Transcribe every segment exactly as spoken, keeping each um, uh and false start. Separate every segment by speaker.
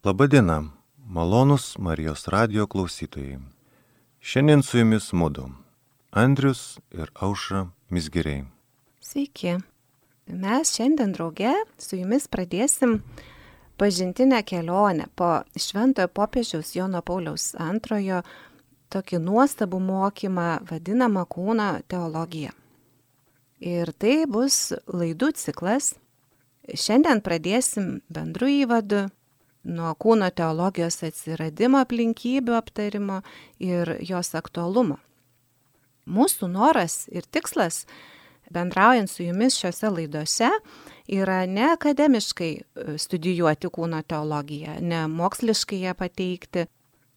Speaker 1: Labadiena, malonūs Marijos radijo klausytojai. Šiandien su jumis mudu, Andrius ir Aušra Mizgiriai.
Speaker 2: Sveiki. Mes šiandien drauge su jumis pradėsim pažintinę kelionę po Šventojo popiežiaus Jono Pauliaus antrojo tokį nuostabų mokymą vadinamą kūno teologija. Ir tai bus laidų ciklas. Šiandien pradėsim bendru įvadu nuo kūno teologijos atsiradimo aplinkybių aptarimo ir jos aktualumo. Mūsų noras ir tikslas, bendraujant su jumis šiose laidose, yra ne akademiškai studijuoti kūno teologiją, ne moksliškai ją pateikti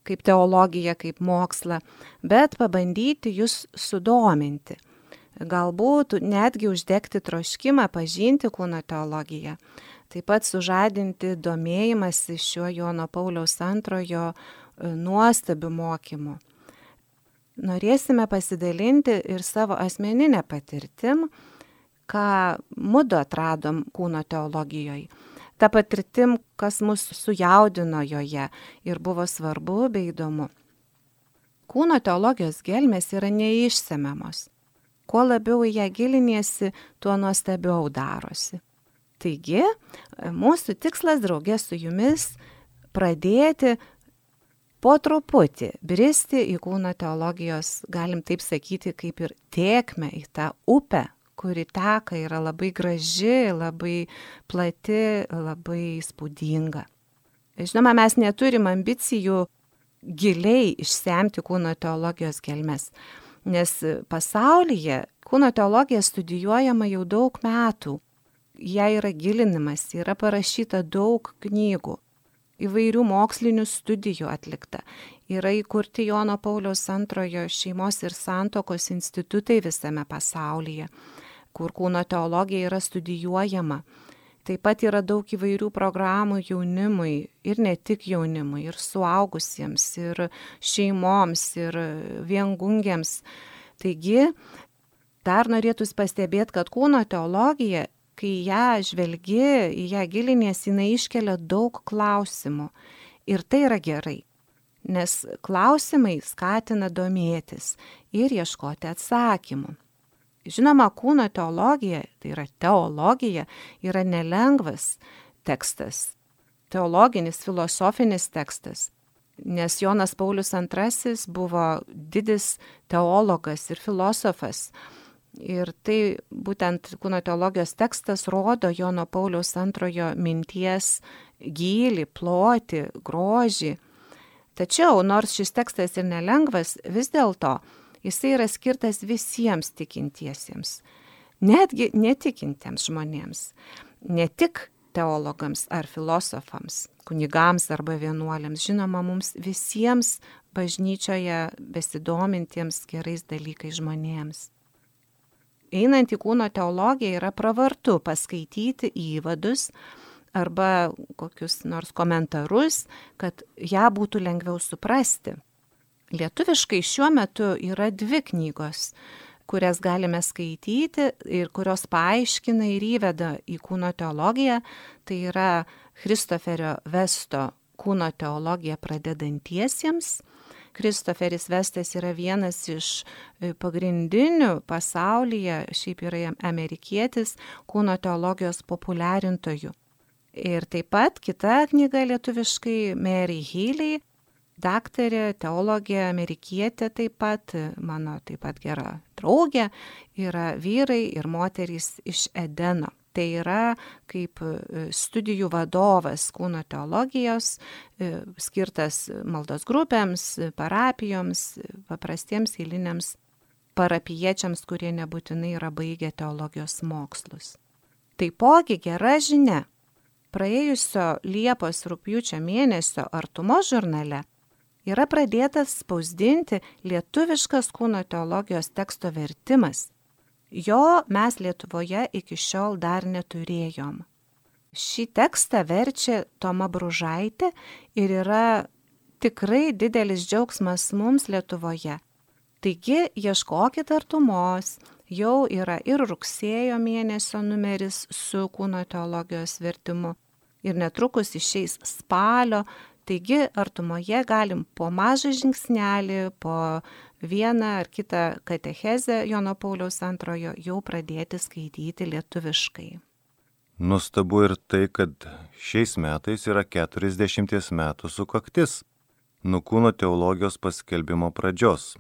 Speaker 2: kaip teologiją, kaip mokslą, bet pabandyti jūs sudominti. Galbūt netgi uždegti troškimą pažinti kūno teologiją, taip pat sužadinti domėjimąsi šiuo Jono Pauliaus antrojo nuostabiu mokymu. Norėsime pasidalinti ir savo asmeninę patirtim, ką mudu atradom kūno teologijoje. Ta patirtim, kas mus sujaudino joje ir buvo svarbu bei įdomu. Kūno teologijos gelmės yra neišsemiamos. Kuo labiau į ją giliniesi, tuo nuostabiau darosi. Taigi, mūsų tikslas draugė su jumis pradėti po truputį bristi į kūno teologijos, galim taip sakyti, kaip ir tėkmę į tą upę, kuri teka, yra labai graži, labai plati, labai įspūdinga. Žinoma, mes neturim ambicijų giliai išsemti kūno teologijos gelmes, nes pasaulyje kūno teologija studijuojama jau daug metų. Jie yra gilinimas, yra parašyta daug knygų, įvairių mokslinių studijų atlikta. Yra įkurti Jono Pauliaus antrojo šeimos ir santuokos institutai visame pasaulyje, kur kūno teologija yra studijuojama. Taip pat yra daug įvairių programų jaunimui ir ne tik jaunimui, ir suaugusiems, ir šeimoms, ir viengungiams. Taigi, dar norėtųsi pastebėti, kad kūno teologija, kai ją žvelgi, į ją giliniesi, jinai iškelia daug klausimų. Ir tai yra gerai, nes klausimai skatina domėtis ir ieškoti atsakymų. Žinoma, kūno teologija, tai yra teologija, yra nelengvas tekstas, teologinis, filosofinis tekstas, nes Jonas Paulius antrasis buvo didis teologas ir filosofas. Ir tai būtent kūno teologijos tekstas rodo Jono Pauliaus antrojo minties gylį, plotį, grožį. Tačiau, nors šis tekstas ir nelengvas, vis dėlto jisai yra skirtas visiems tikintiesiems, netgi netikintiems žmonėms, ne tik teologams ar filosofams, kunigams arba vienuoliams, žinoma, mums visiems bažnyčioje besidomintiems gerais dalykais žmonėms. Einant į kūno teologiją yra pravartu paskaityti įvadus arba kokius nors komentarus, kad ją būtų lengviau suprasti. Lietuviškai šiuo metu yra dvi knygos, kurias galime skaityti ir kurios paaiškina ir įveda į kūno teologiją. Tai yra Christoferio Vesto Kūno teologija pradedantiesiems. Christoferis Vestas yra vienas iš pagrindinių pasaulyje, šiaip yra amerikietis, kūno teologijos populiarintojų. Ir taip pat kita knyga lietuviškai Mary Healy, daktarė, teologė, amerikietė taip pat, mano taip pat gera draugė, yra vyrai ir moterys iš Edeno. Tai yra kaip studijų vadovas kūno teologijos, skirtas maldos grupėms, parapijoms, paprastiems eiliniams parapiečiams, kurie nebūtinai yra baigę teologijos mokslus. Taipogi gera žinia. Praėjusio Liepos rugpjūčio mėnesio Artumo žurnale yra pradėtas spausdinti lietuviškas kūno teologijos teksto vertimas. Jo mes Lietuvoje iki šiol dar neturėjom. Šį tekstą verčia Toma Bružaitė ir yra tikrai didelis džiaugsmas mums Lietuvoje. Taigi ieškokit Artumos, jau yra ir rugsėjo mėnesio numeris su kūno teologijos vertimu. ir netrukus išeis spalio, taigi artumoje galim po mažą žingsnelį, po vieną ar kitą katechezę Jono Pauliaus antrojo jau pradėti skaityti lietuviškai.
Speaker 1: Nuostabu ir tai, kad šiais metais yra keturiasdešimties metų sukaktis nuo kūno teologijos paskelbimo pradžios.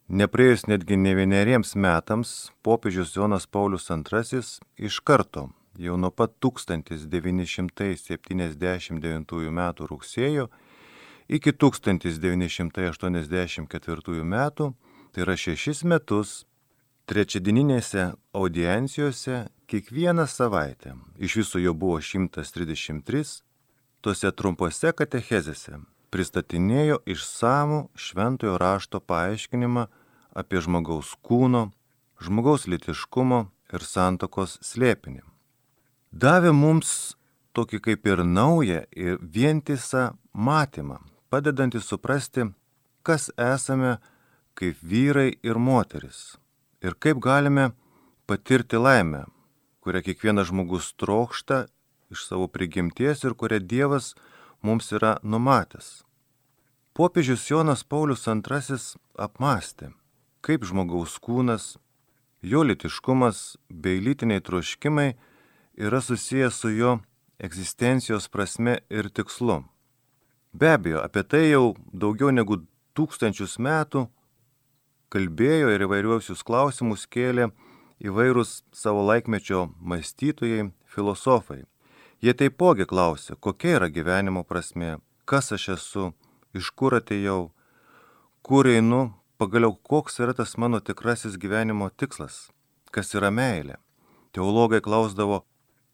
Speaker 1: Nepraėjus netgi ne vieneriems metams, popiežius Jonas Paulius antrasis iš karto, jau nuo pat tūkstantis devyni šimtai septyniasdešimt devintųjų metų rugsėjo iki tūkstantis devyni šimtai aštuoniasdešimt ketvirtųjų metų, tai yra šešis metus, trečiadieninėse audiencijose kiekvieną savaitę, iš viso jo buvo šimtas trisdešimt trys, tose trumpose katechezėse pristatinėjo išsamų šventojo rašto paaiškinimą apie žmogaus kūno, žmogaus lytiškumo ir santuokos slėpinį. Davė mums tokį kaip ir naują ir vientisą matymą, padedantį suprasti, kas esame kaip vyrai ir moteris ir kaip galime patirti laimę, kurią kiekvienas žmogus trokšta iš savo prigimties ir kurią Dievas mums yra numatęs. Popiežius Jonas Paulius antrasis apmąstė, kaip žmogaus kūnas, jo lytiškumas bei lytiniai troškimai yra susijęs su jo egzistencijos prasme ir tikslu. Be abejo, apie tai jau daugiau negu tūkstančius metų kalbėjo ir įvairiausius klausimus kėlė įvairūs savo laikmečio mąstytojai, filosofai. Jie taipogi klausė, kokia yra gyvenimo prasmė, kas aš esu, iš kur atėjau, kur einu, pagaliau koks yra tas mano tikrasis gyvenimo tikslas, kas yra meilė. Teologai klausdavo,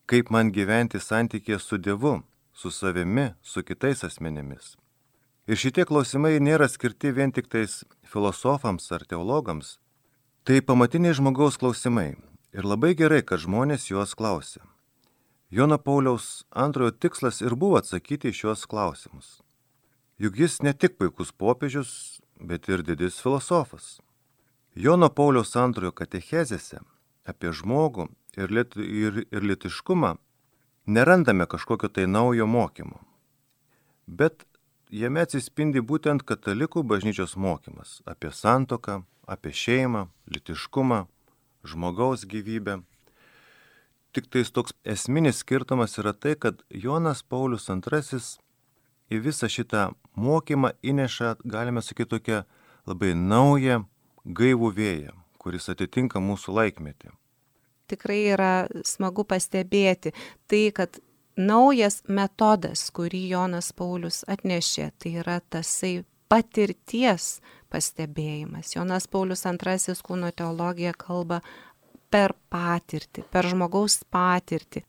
Speaker 1: kaip man gyventi santykėje su Dievu, su savimi, su kitais asmenimis. Ir šitie klausimai nėra skirti vien tik tais filosofams ar teologams. Tai pamatiniai žmogaus klausimai ir labai gerai, kad žmonės juos klausė. Jono Pauliaus antrojo tikslas ir buvo atsakyti į šios klausimus. Juk jis ne tik puikus popiežius, bet ir didis filosofas. Jono Pauliaus antrojo katechezėse apie žmogų ir, liet, ir, ir lytiškumą nerandame kažkokio tai naujo mokymo. Bet jame atsispindi būtent katalikų bažnyčios mokymas apie santuoką, apie šeimą, lytiškumą, žmogaus gyvybę. Tik tais toks esminis skirtumas yra tai, kad Jonas Paulius antrasis į visą šitą mokymą įneša, galime sakyti, tokią labai naują, gaivų vėją, kuris atitinka mūsų laikmetį.
Speaker 2: Tikrai yra smagu pastebėti tai, kad naujas metodas, kurį Jonas Paulius atnešė, tai yra tasai patirties pastebėjimas. Jonas Paulius antrasis kūno teologija kalba per patirtį, per žmogaus patirtį.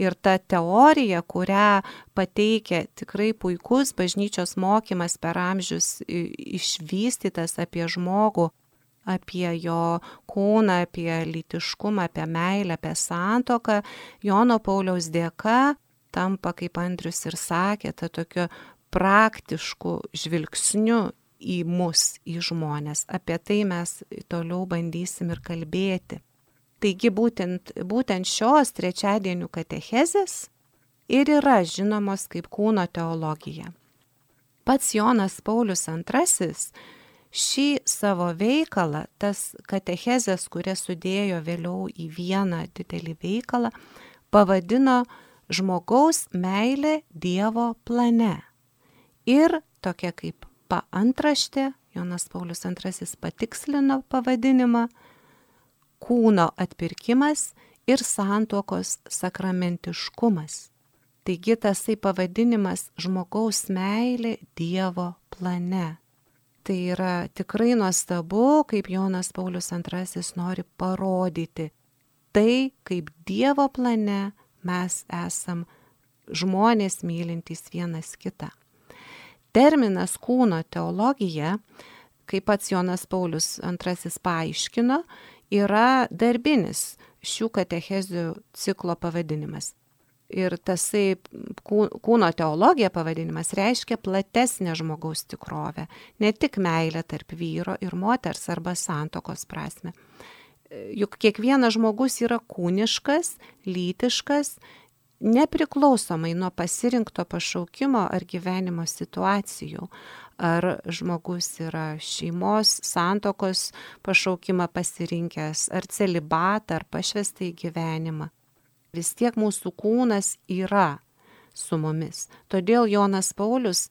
Speaker 2: Ir ta teorija, kurią pateikia tikrai puikus bažnyčios mokymas per amžius išvystytas apie žmogų, apie jo kūną, apie lytiškumą, apie meilę, apie santuoką, Jono Pauliaus dėka tampa, kaip Andrius ir sakė, ta tokiu praktišku žvilgsniu į mus, į žmonės. Apie tai mes toliau bandysim ir kalbėti. Taigi būtent, būtent šios trečiadienių katechezės ir yra žinomos kaip kūno teologija. Pats Jonas Paulius antrasis šį savo veikalą, tas katechezės, kurias sudėjo vėliau į vieną didelį veikalą, pavadino žmogaus meilė Dievo plane. Ir tokia kaip paantraštė, Jonas Paulius antrasis patikslino pavadinimą, kūno atpirkimas ir santuokos sakramentiškumas. Taigi tasai pavadinimas žmogaus meilė Dievo plane. Tai yra tikrai nuostabu, kaip Jonas Paulius antrasis nori parodyti. Tai, kaip Dievo plane mes esam žmonės mylintys vienas kitą. Terminas kūno teologija, kaip pats Jonas Paulius antrasis paaiškino, yra darbinis šių katechezių ciklo pavadinimas. Ir tasai kūno teologija pavadinimas reiškia platesnę žmogaus tikrovę, ne tik meilę tarp vyro ir moters arba santuokos prasme. Juk kiekvienas žmogus yra kūniškas, lytiškas, nepriklausomai nuo pasirinkto pašaukimo ar gyvenimo situacijų. Ar žmogus yra šeimos, santuokos pašaukimą pasirinkęs, ar celibatą, ar pašvestą į gyvenimą. Vis tiek mūsų kūnas yra su mumis. Todėl Jonas Paulius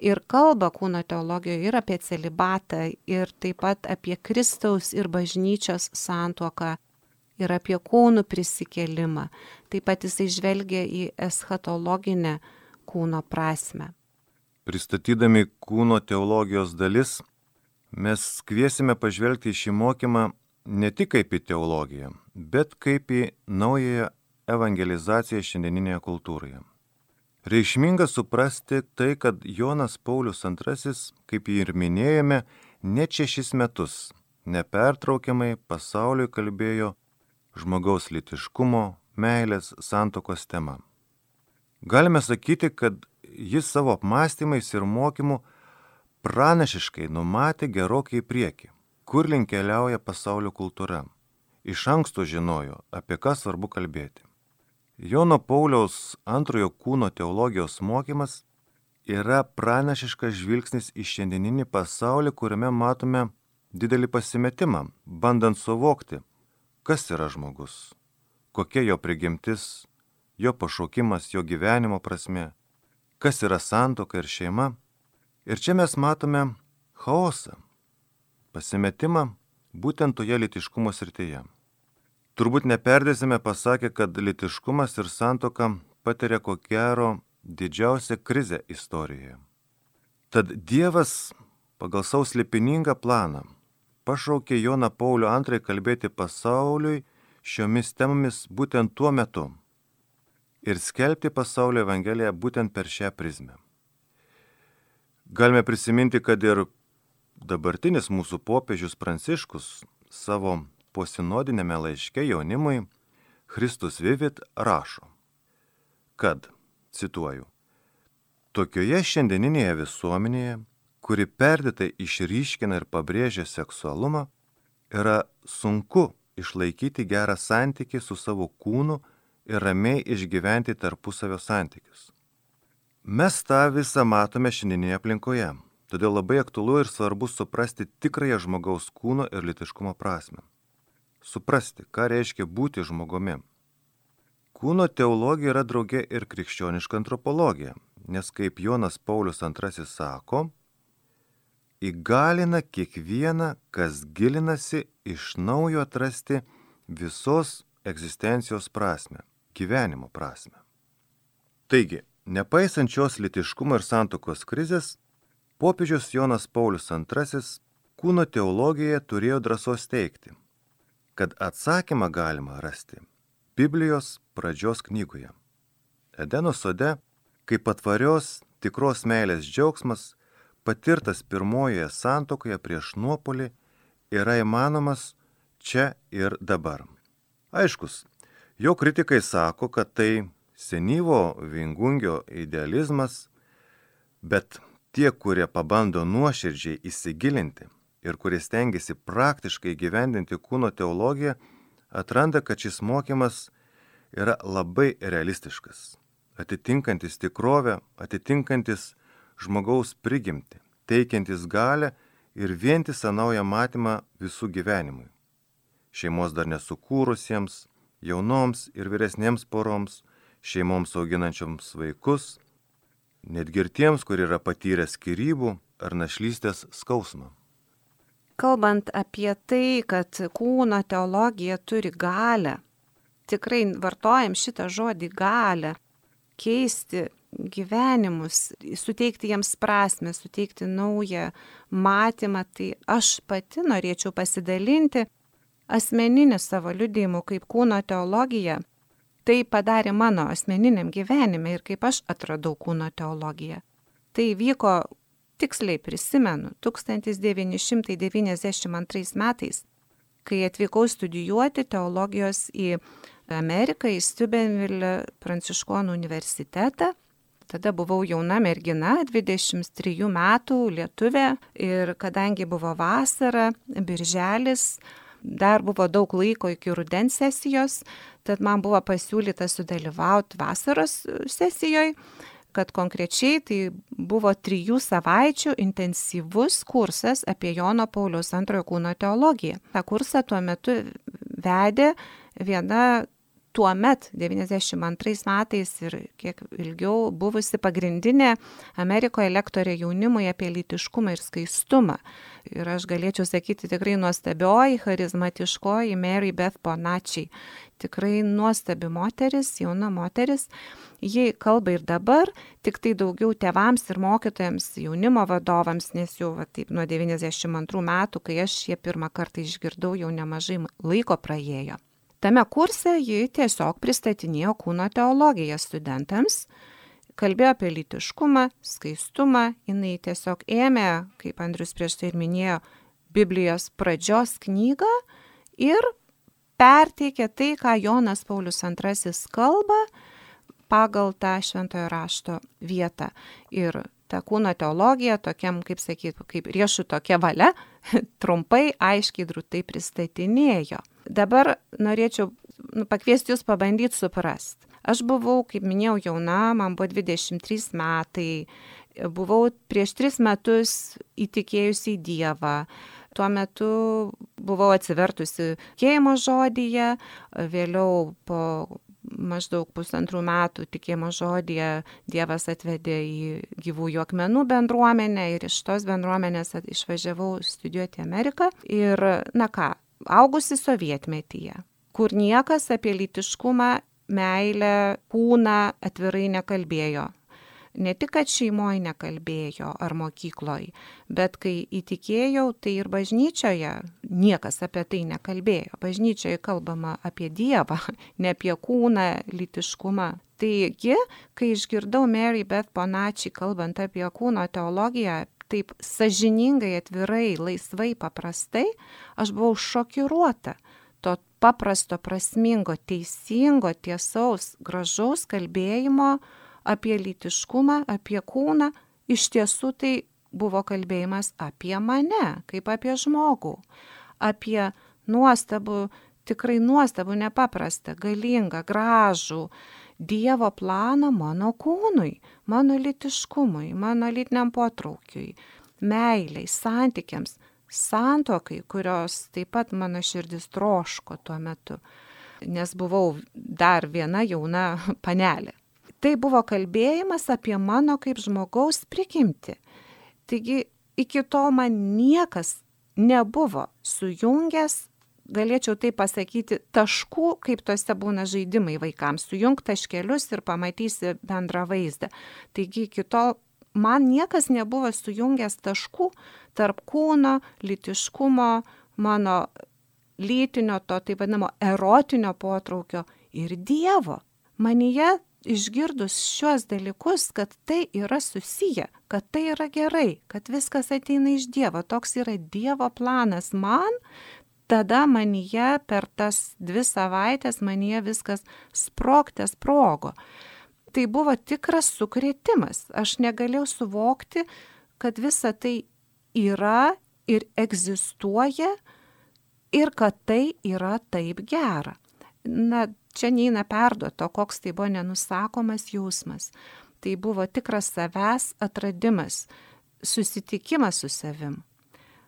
Speaker 2: ir kalba kūno teologijoje ir apie celibatą, ir taip pat apie Kristaus ir bažnyčios santuoką, ir apie kūnų prisikėlimą. Taip pat jisai žvelgia į eschatologinę kūno prasme.
Speaker 1: Pristatydami kūno teologijos dalis, mes kviesime pažvelgti į šį mokymą ne tik kaip į teologiją, bet kaip į naująją evangelizaciją šiandieninėje kultūroje. Reikšminga suprasti tai, kad Jonas Paulius antrasis, kaip jį ir minėjome, net šešis metus nepertraukiamai pasauliui kalbėjo žmogaus lytiškumo, meilės, santuokos tema. Galime sakyti, kad jis savo apmąstymais ir mokymu pranašiškai numatė gerokai į priekį, kur link keliauja pasaulio kultūra. Iš anksto žinojo, apie ką svarbu kalbėti. Jono Pauliaus antrojo kūno teologijos mokymas yra pranašiškas žvilgsnis į šiandieninį pasaulį, kuriame matome didelį pasimetimą, bandant suvokti, kas yra žmogus, kokia jo prigimtis, jo pašaukimas, jo gyvenimo prasmė, kas yra santuoka ir šeima. Ir čia mes matome chaosą, pasimetimą būtent toje lytiškumo srityje. Turbūt neperdėsime pasakę, kad lytiškumas ir santuoka patiria ko gero didžiausią krizę istorijoje. Tad Dievas pagal savo slėpiningą planą pašaukė Joną Paulių antrąjį kalbėti pasauliui šiomis temomis būtent tuo metu ir skelbti pasaulio evangeliją būtent per šią prizmę. Galime prisiminti, kad ir dabartinis mūsų popiežius Pranciškus savo posinodinėme laiške jaunimui Christus Vivit rašo, kad, cituoju, tokioje šiandieninėje visuomenėje, kuri perdėtai išryškina ir pabrėžia seksualumą, yra sunku išlaikyti gerą santykį su savo kūnu ir ramiai išgyventi tarpusavio santykius. Mes tą visą matome šiandieninėje aplinkoje, todėl labai aktualu ir svarbu suprasti tikrąją žmogaus kūno ir lytiškumo prasmę. Suprasti, ką reiškia būti žmogumi. Kūno teologija yra drauge ir krikščioniška antropologija, nes kaip Jonas Paulius antrasis sako, įgalina kiekvieną, kas gilinasi iš naujo atrasti visos egzistencijos prasmę, gyvenimo prasmę. Taigi, nepaisant šios lytiškumo ir santuokos krizės, popiežius Jonas Paulius antrasis kūno teologijoje turėjo drąsos teigti, kad atsakymą galima rasti Biblijos pradžios knygoje. Edeno sode, kaip patvarios tikros meilės džiaugsmas, patirtas pirmojoje santuokoje prieš nuopuolį, yra įmanomas čia ir dabar. Aiškus, jo kritikai sako, kad tai senyvo viengungio idealizmas, bet tie, kurie pabando nuoširdžiai įsigilinti ir kurie stengiasi praktiškai gyvendinti kūno teologiją, atranda, kad šis mokymas yra labai realistiškas, atitinkantis tikrovę, atitinkantis žmogaus prigimtį, teikiantis galią ir vientisą naują matymą visų gyvenimui. Šeimos dar nesukūrusiems, jaunoms ir vyresniems poroms, šeimoms auginančioms vaikus, netgi ir tiems, kurie yra patyrę skyrybų ar našlystės skausmą.
Speaker 2: Kalbant apie tai, kad kūno teologija turi galią, tikrai vartojam šitą žodį galią, keisti gyvenimus, suteikti jiems prasmę, suteikti naują matymą, tai aš pati norėčiau pasidalinti asmeniniu savo liudijimu, kaip kūno teologija tai padarė mano asmeniniam gyvenime ir kaip aš atradau kūno teologiją. Tai vyko, tiksliai prisimenu, tūkstantis devyni šimtai devyniasdešimt antrais metais, kai atvykau studijuoti teologijos į Ameriką, į Steubenville pranciškonų universitetą. Tada buvau jauna mergina, dvidešimt trijų metų, lietuvė, ir kadangi buvo vasara, birželis, dar buvo daug laiko iki rudens sesijos, Tad man buvo pasiūlyta sudalyvauti vasaros sesijoje, kad konkrečiai tai buvo trijų savaičių intensyvus kursas apie Jono Pauliaus antrojo kūno teologiją. Ta kursą tuo metu vedė viena tuomet devyniasdešimt antrais metais ir kiek ilgiau buvusi pagrindinė Amerikoje lektorė jaunimui apie lytiškumą ir skaistumą. Ir aš galėčiau sakyti tikrai nuostabioji, charizmatiškoji Mary Beth Bonacci. Tikrai nuostabi moteris, jauna moteris. Ji kalba ir dabar, tik tai daugiau tėvams ir mokytojams, jaunimo vadovams, nes jau va, taip, nuo devyniasdešimt antrų metų, kai aš ją pirmą kartą išgirdau, jau nemažai laiko praėjo. Tame kurse ji tiesiog pristatinėjo kūno teologiją studentams, kalbėjo apie lytiškumą, skaistumą, jinai tiesiog ėmė, kaip Andrius prieš tai ir minėjo, Biblijos pradžios knygą ir perteikė tai, ką Jonas Paulius antrasis kalba pagal tą šventojo rašto vietą. Ir ta kūno teologija, tokiam, kaip sakyt, kaip riešuto kevale, trumpai, aiškiai, drūtai pristatinėjo. Dabar norėčiau nu, pakviesti jūs pabandyti suprasti. Aš buvau, kaip minėjau, jauna, man buvo dvidešimt trys metai, buvau prieš tris metus įtikėjusi į Dievą. Tuo metu buvau atsivertusi tikėjimo žodyje, vėliau po maždaug pusantrų metų tikėjimo žodyje Dievas atvedė į gyvųjų akmenų bendruomenę ir iš tos bendruomenės išvažiavau studijuoti į Ameriką. Ir, na ką, augusi sovietmetyje, kur niekas apie lytiškumą, meilę, kūną atvirai nekalbėjo. Ne tik, kad šeimoje nekalbėjo ar mokykloje, bet kai įtikėjau, tai ir bažnyčioje niekas apie tai nekalbėjo. Bažnyčioje kalbama apie Dievą, ne apie kūną, lytiškumą. Taigi, kai išgirdau Mary Beth Bonacci kalbant apie kūno teologiją, taip sąžiningai, atvirai, laisvai, paprastai, aš buvau šokiruota to paprasto, prasmingo, teisingo, tiesaus, gražaus kalbėjimo apie lytiškumą, apie kūną. Iš tiesų tai buvo kalbėjimas apie mane, kaip apie žmogų, apie nuostabų, tikrai nuostabų, nepaprastą, galingą, gražų Dievo planą mano kūnui, mano lytiškumui, mano lytiniam potraukiui, meiliai, santykiams, santuokai, kurios taip pat mano širdis troško tuo metu, nes buvau dar viena jauna panelė. Tai buvo kalbėjimas apie mano kaip žmogaus prigimtį. Taigi iki tol man niekas nebuvo sujungęs, galėčiau tai pasakyti, taškų, kaip tose būna žaidimai vaikams, sujung taškelius ir pamatysi bendrą vaizdą. Taigi iki tol man niekas nebuvo sujungęs taškų tarp kūno, lytiškumo, mano lytinio, to taip vadinamo erotinio potraukio ir Dievo. Manyje išgirdus šiuos dalykus, kad tai yra susiję, kad tai yra gerai, kad viskas ateina iš Dievo, toks yra Dievo planas man, tada manyje per tas dvi savaitės manyje viskas sprogte sprogo. Tai buvo tikras sukrėtimas. Aš negalėjau suvokti, kad visa tai yra ir egzistuoja ir kad tai yra taip gera. Na, čia neina perduoto, koks tai buvo nenusakomas jausmas. Tai buvo tikras savęs atradimas, susitikimas su savim.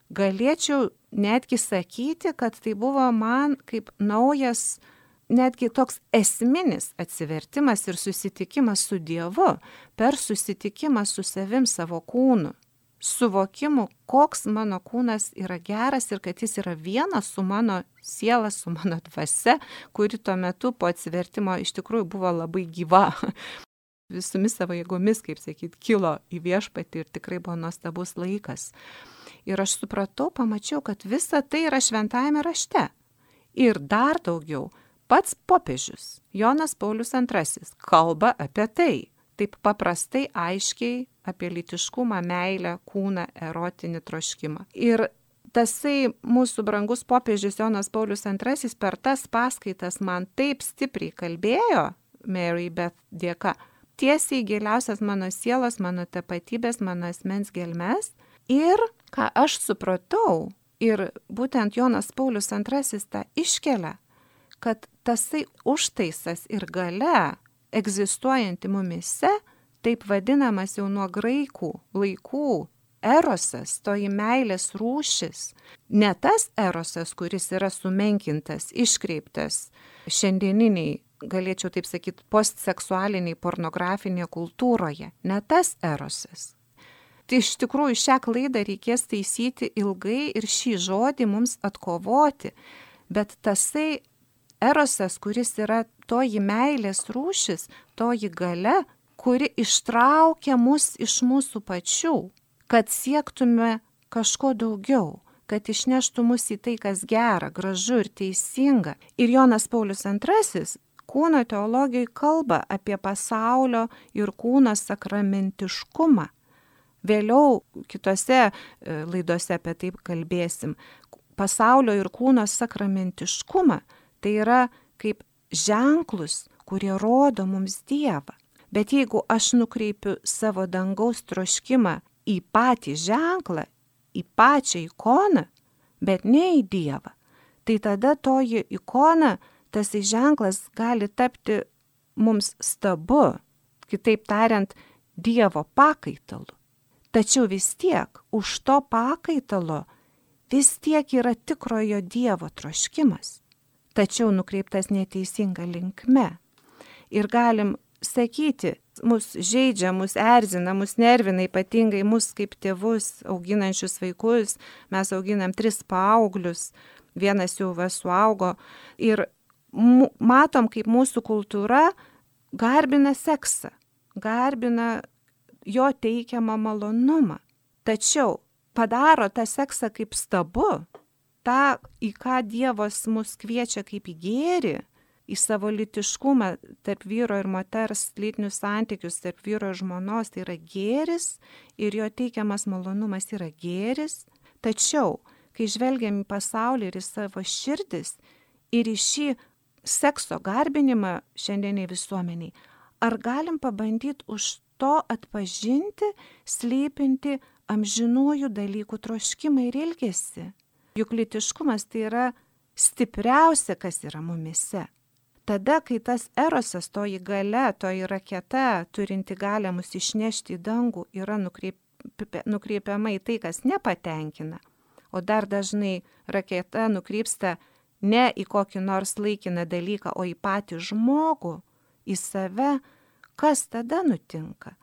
Speaker 2: Galėčiau netgi sakyti, kad tai buvo man kaip naujas, netgi toks esminis atsivertimas ir susitikimas su Dievu per susitikimą su savim, savo kūnu. Suvokimu, koks mano kūnas yra geras ir kad jis yra vienas su mano siela, su mano dvasia, kuri tuo metu po atsivertimo iš tikrųjų buvo labai gyva. Visomis savo jėgomis, kaip sakyt, kilo į viešpatį ir tikrai buvo nuostabus laikas. Ir aš supratau, pamačiau, kad visa tai yra šventajame rašte. Ir dar daugiau, pats popiežius, Jonas Paulius antrasis, kalba apie tai. Taip paprastai, aiškiai apie lytiškumą, meilę, kūną, erotinį troškimą. Ir tasai mūsų brangus popiežius Jonas Paulius antrasis per tas paskaitas man taip stipriai kalbėjo, Mary Beth dėka, tiesiai giliausias mano sielos, mano tapatybės, mano asmens gelmes. Ir ką aš supratau, ir būtent Jonas Paulius antrasis tą iškelia, kad tasai užtaisas ir galia egzistuojanti mumise, taip vadinamas jau nuo graikų laikų erosas, toji meilės rūšis, ne tas erosas, kuris yra sumenkintas, iškreiptas šiandieniniai, galėčiau taip sakyti, postseksualiniai pornografinėje kultūroje, ne tas erosas. Tai iš tikrųjų šią klaidą reikės taisyti ilgai ir šį žodį mums atkovoti, bet tasai erosas, kuris yra toji meilės rūšis, toji galia, kuri ištraukia mus iš mūsų pačių, kad siektume kažko daugiau, kad išneštų mus į tai, kas gera, gražu ir teisinga. Ir Jonas Paulius antrasis kūno teologijai kalba apie pasaulio ir kūno sakramentiškumą. Vėliau kitose laidose apie tai kalbėsim. Pasaulio ir kūno sakramentiškumą tai yra kaip ženklus, kurie rodo mums Dievą. Bet jeigu aš nukreipiu savo dangaus troškimą į patį ženklą, į pačią ikoną, bet ne į Dievą, tai tada toji ikona, tas ženklas gali tapti mums stabu, kitaip tariant, Dievo pakaitalu. Tačiau vis tiek už to pakaitalo vis tiek yra tikrojo Dievo troškimas, tačiau nukreiptas neteisinga linkme. Ir galim sakyti, mus žaidžia, mus erzina, mus nervina, ypatingai mus kaip tėvus auginančius vaikus, mes auginam tris paauglius, vienas jau va suaugo ir m- matom, kaip mūsų kultūra garbina seksą, garbina jo teikiamą malonumą. Tačiau padaro tą seksą kaip stabu, tą, į ką Dievas mus kviečia kaip į gėrį, į savo lytiškumą tarp vyro ir moters, lytinius santykius tarp vyro ir žmonos, tai yra gėris ir jo teikiamas malonumas yra gėris. Tačiau, kai žvelgiam į pasaulį ir į savo širdis ir į šį sekso garbinimą šiandieniai visuomeniai, ar galim pabandyti už to atpažinti, slypinti amžinųjų dalykų troškimą ir ilgesį? Juk lytiškumas tai yra stipriausia, kas yra mumise. Tada, kai tas erosas, toji galia, toji raketa, turinti galę mus išnešti į dangų, yra nukreip, nukreipiama į tai, kas nepatenkina, o dar dažnai raketa nukrypsta ne į kokį nors laikiną dalyką, o į patį žmogų, į save, kas tada nutinka?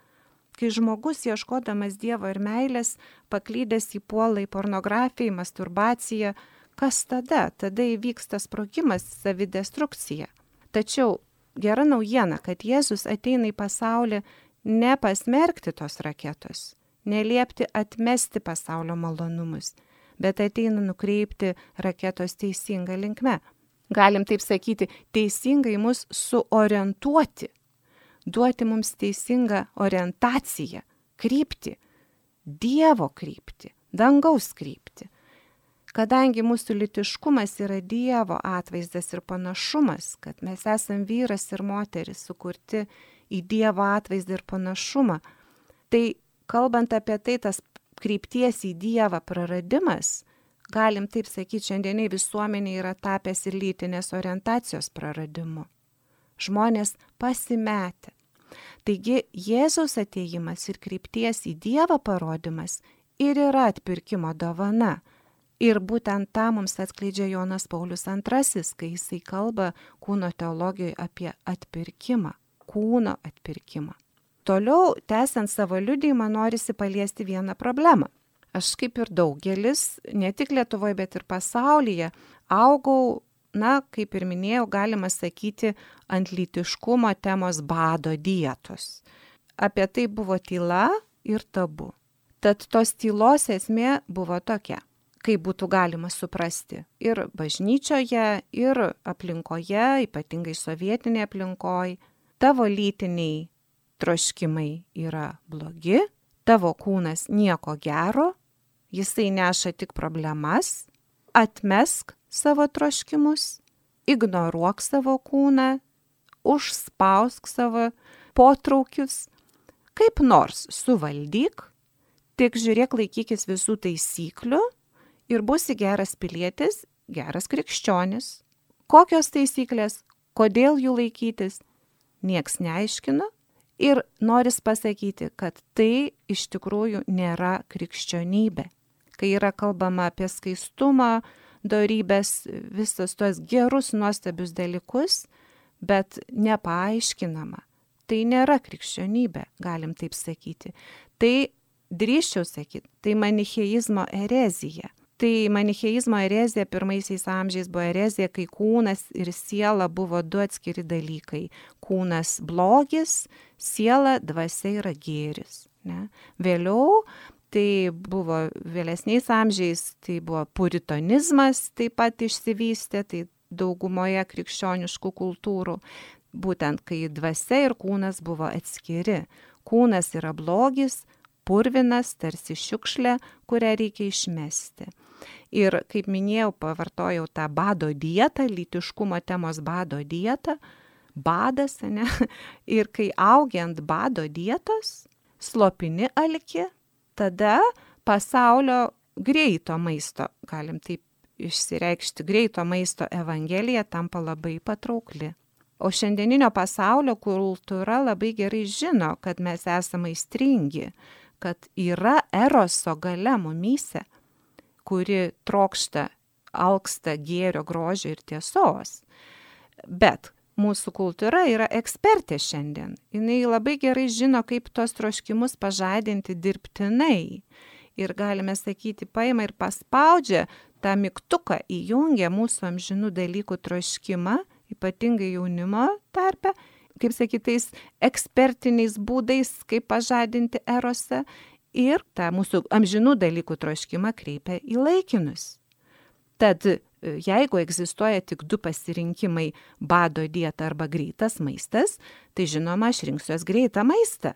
Speaker 2: Kai žmogus, ieškodamas Dievo ir meilės, paklydęs į puolą į pornografiją, į masturbaciją, kas tada? Tada įvyksta sprogimas, savidestrukcija. Tačiau gera naujiena, kad Jėzus ateina į pasaulį ne pasmerkti tos raketos, neliepti atmesti pasaulio malonumus, bet ateina nukreipti raketos teisingą linkme. Galim taip sakyti, teisingai mus suorientuoti, duoti mums teisingą orientaciją, kryptį, Dievo kryptį, dangaus kryptį. Kadangi mūsų lytiškumas yra Dievo atvaizdas ir panašumas, kad mes esam vyras ir moteris sukurti į Dievo atvaizdą ir panašumą, tai kalbant apie tai, tas krypties į Dievą praradimas, galim taip sakyti, šiandieniai visuomenė yra tapęs ir lytinės orientacijos praradimu. Žmonės pasimetę. Taigi Jėzaus atėjimas ir krypties į Dievą parodimas ir yra atpirkimo dovana. Ir būtent tą mums atskleidžia Jonas Paulius antrasis, kai jisai kalba kūno teologijoje apie atpirkimą, kūno atpirkimą. Toliau, tęsiant savo liudijimą, norisi paliesti vieną problemą. Aš kaip ir daugelis, ne tik Lietuvoje, bet ir pasaulyje, augau, na, kaip ir minėjau, galima sakyti, ant lytiškumo temos bado dietos. Apie tai buvo tyla ir tabu. Tad tos tylos esmė buvo tokia, kaip būtų galima suprasti ir bažnyčioje, ir aplinkoje, ypatingai sovietinėje aplinkoje, tavo lytiniai troškimai yra blogi, tavo kūnas nieko gero, jisai neša tik problemas, atmesk savo troškimus, ignoruok savo kūną, užspausk savo potraukius, kaip nors suvaldyk, tik žiūrėk, laikykis visų taisyklių, ir būsi geras pilietis, geras krikščionis. Kokios taisyklės, kodėl jų laikytis, nieks neaiškino ir noris pasakyti, kad tai iš tikrųjų nėra krikščionybė. Kai yra kalbama apie skaistumą, dorybės, visus tuos gerus, nuostabius dalykus, bet nepaaiškinama. Tai nėra krikščionybė, galim taip sakyti. Tai drįsčiau sakyti, tai manicheizmo erezija. Tai manicheizmo erezija pirmaisiais amžiais buvo erezija, kai kūnas ir siela buvo du atskiri dalykai. Kūnas blogis, siela, dvasia yra gėris. Ne? Vėliau tai buvo vėlesniais amžiais, tai buvo puritonizmas taip pat išsivystė, tai daugumoje krikščioniškų kultūrų, būtent kai dvasia ir kūnas buvo atskiri. Kūnas yra blogis, purvinas, tarsi šiukšlė, kurią reikia išmesti. Ir kaip minėjau, pavartojau tą bado dietą, lytiškumo temos bado dietą, badas, ne? Ir kai augi ant bado dietos, slopini alkį, tada pasaulio greito maisto, galim taip išsireikšti, greito maisto evangelija tampa labai patraukli. O šiandieninio pasaulio kultūra labai gerai žino, kad mes esame aistringi, kad yra eroso galia mumyse, kuri trokšta, alksta gėrio, grožio ir tiesos. Bet mūsų kultūra yra ekspertė šiandien. Jis labai gerai žino, kaip tos troškimus pažadinti dirbtinai. Ir galime sakyti, paima ir paspaudžia tą mygtuką, įjungia mūsų amžinų dalykų troškimą, ypatingai jaunimo tarpe, kaip sakytais, ekspertiniais būdais, kaip pažadinti erosą, ir tą mūsų amžinų dalykų troškimą kreipia į laikinus. Tad jeigu egzistuoja tik du pasirinkimai – bado dieta arba greitas maistas, tai žinoma, aš rinksiuos greitą maistą.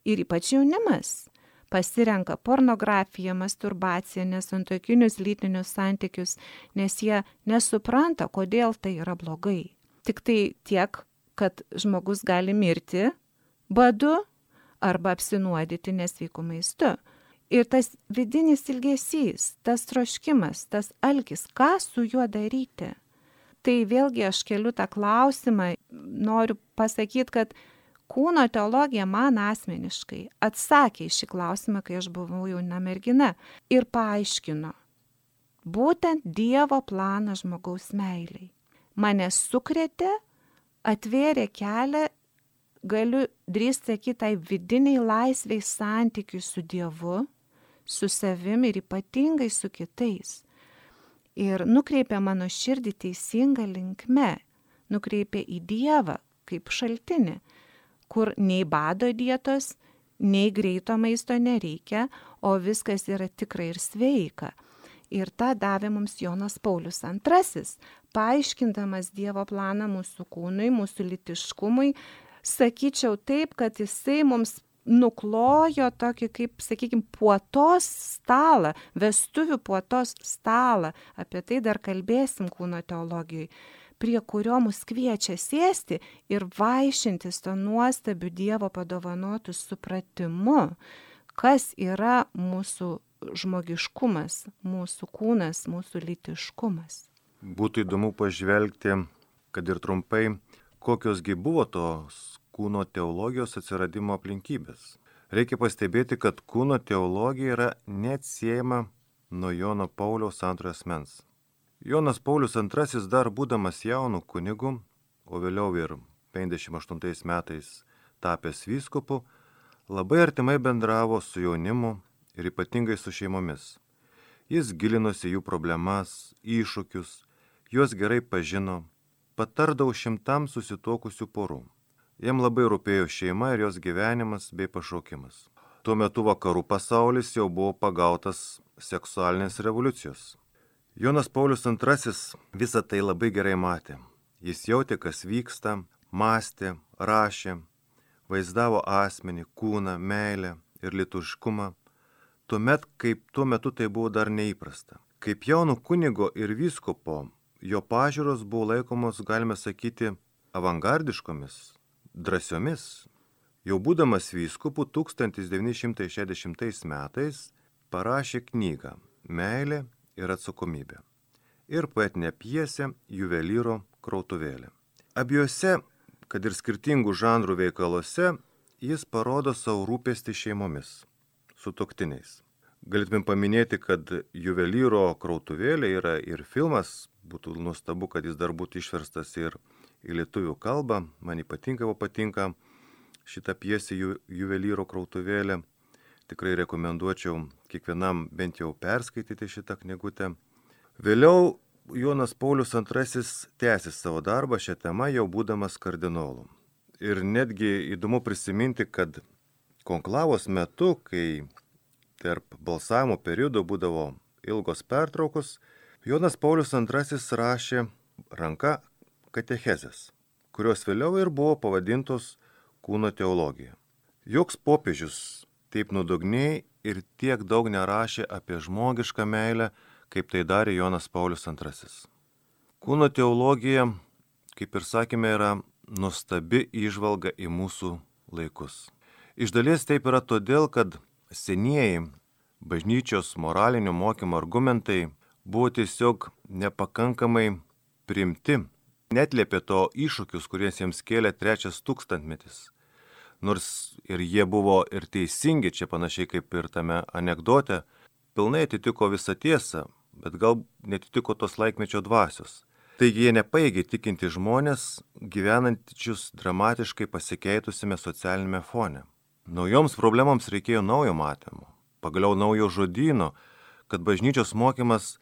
Speaker 2: Ir ypač jaunimas pasirenka pornografiją, masturbaciją, nesantuokinius lytinius santykius, nes jie nesupranta, kodėl tai yra blogai. Tik tai tiek, kad žmogus gali mirti badu arba apsinuodyti nesveiku maistu. Ir tas vidinis ilgesys, tas troškimas, tas alkis, ką su juo daryti? Tai vėlgi aš keliu tą klausimą, noriu pasakyti, kad kūno teologija man asmeniškai atsakė į šį klausimą, kai aš buvau jauna mergina ir paaiškino būtent Dievo planą žmogaus meiliai. Mane sukrėtė, atvėrė kelią, galiu drįsti sakyti, tai vidiniai laisviai santykiui su Dievu, su savimi ir ypatingai su kitais. Ir nukreipė mano širdį teisinga linkme, nukreipė į Dievą kaip šaltinį, kur nei bado dietos, nei greito maisto nereikia, o viskas yra tikrai ir sveika. Ir tą davė mums Jonas Paulius antrasis, paaiškindamas Dievo planą mūsų kūnui, mūsų lytiškumui. Sakyčiau taip, kad jisai mums nuklojo tokį, kaip, sakykime, puotos stalą, vestuvių puotos stalą. Apie tai dar kalbėsim kūno teologijai, prie kurio mus kviečia sėsti ir vaišintis to nuostabiu Dievo padovanotų supratimu, kas yra mūsų žmogiškumas, mūsų kūnas, mūsų lytiškumas.
Speaker 1: Būtų įdomu pažvelgti, kad ir trumpai, kokiosgi buvo tos kūno teologijos atsiradimo aplinkybės. Reikia pastebėti, kad kūno teologija yra neatsiejama nuo Jono Pauliaus antrojo asmens. Jonas Paulius antrasis dar būdamas jaunu kunigu, o vėliau ir penkiasdešimt aštuntais metais tapęs vyskupu, labai artimai bendravo su jaunimu ir ypatingai su šeimomis. Jis gilinosi jų problemas, iššūkius, juos gerai pažino, patardavo šimtams susituokusių porų. Jam labai rūpėjo šeima ir jos gyvenimas bei pašaukimas. Tuo metu vakarų pasaulis jau buvo pagautas seksualinės revoliucijos. Jonas Paulius antrasis visą tai labai gerai matė. Jis jautė, kas vyksta, mąstė, rašė, vaizdavo asmenį, kūną, meilę ir lietuviškumą, tuomet, kaip tuo metu tai buvo dar neįprasta. Kaip jauno kunigo ir vyskupo, jo pažiūros buvo laikomos, galime sakyti, avangardiškomis, drąsiomis. Jau būdamas vyskupu tūkstantis devyni šimtai šešiasdešimtais metais parašė knygą Meilė ir atsakomybė. ir poetinė pjesė Juvelyro krautuvėlė. Abiejose, kad ir skirtingų žanrų veikaluose, jis parodo savo rūpestį šeimomis, sutuoktiniais. Galėtume paminėti, kad Juvelyro krautuvėlė yra ir filmas, būtų nuostabu, kad jis dar būtų išverstas ir į lietuvių kalbą. Man ypatingai patinka šitą pjesę Ju, Juvelyro krautuvėlė. Tikrai rekomenduočiau kiekvienam bent jau perskaityti šitą knygutę. Vėliau Jonas Paulius antrasis tęsė savo darbą šią temą, jau būdamas kardinolu. Ir netgi įdomu prisiminti, kad konklavos metu, kai tarp balsavimo periodų būdavo ilgos pertraukos, Jonas Paulius antrasis rašė ranka katechezės, kurios vėliau ir buvo pavadintos kūno teologija. Joks popiežius taip nuodugniai ir tiek daug nerašė apie žmogišką meilę, kaip tai darė Jonas Paulius antrasis. Kūno teologija, kaip ir sakėme, yra nuostabi įžvalga į mūsų laikus. Iš dalies taip yra todėl, kad senieji bažnyčios moralinio mokymo argumentai buvo tiesiog nepakankamai priimti, netlėpė to iššūkius, kuriais jiems kėlė trečias tūkstantmetis. Nors ir jie buvo ir teisingi, čia panašiai kaip ir tame anekdote, pilnai atitiko visą tiesą, bet gal netitiko tos laikmečio dvasios. Taigi jie nepaėgė tikinti žmonės, gyvenančius dramatiškai pasikeitusiame socialinėme fone. Naujoms problemams reikėjo naujo matymo, pagaliau naujo žodyno, kad bažnyčios mokymas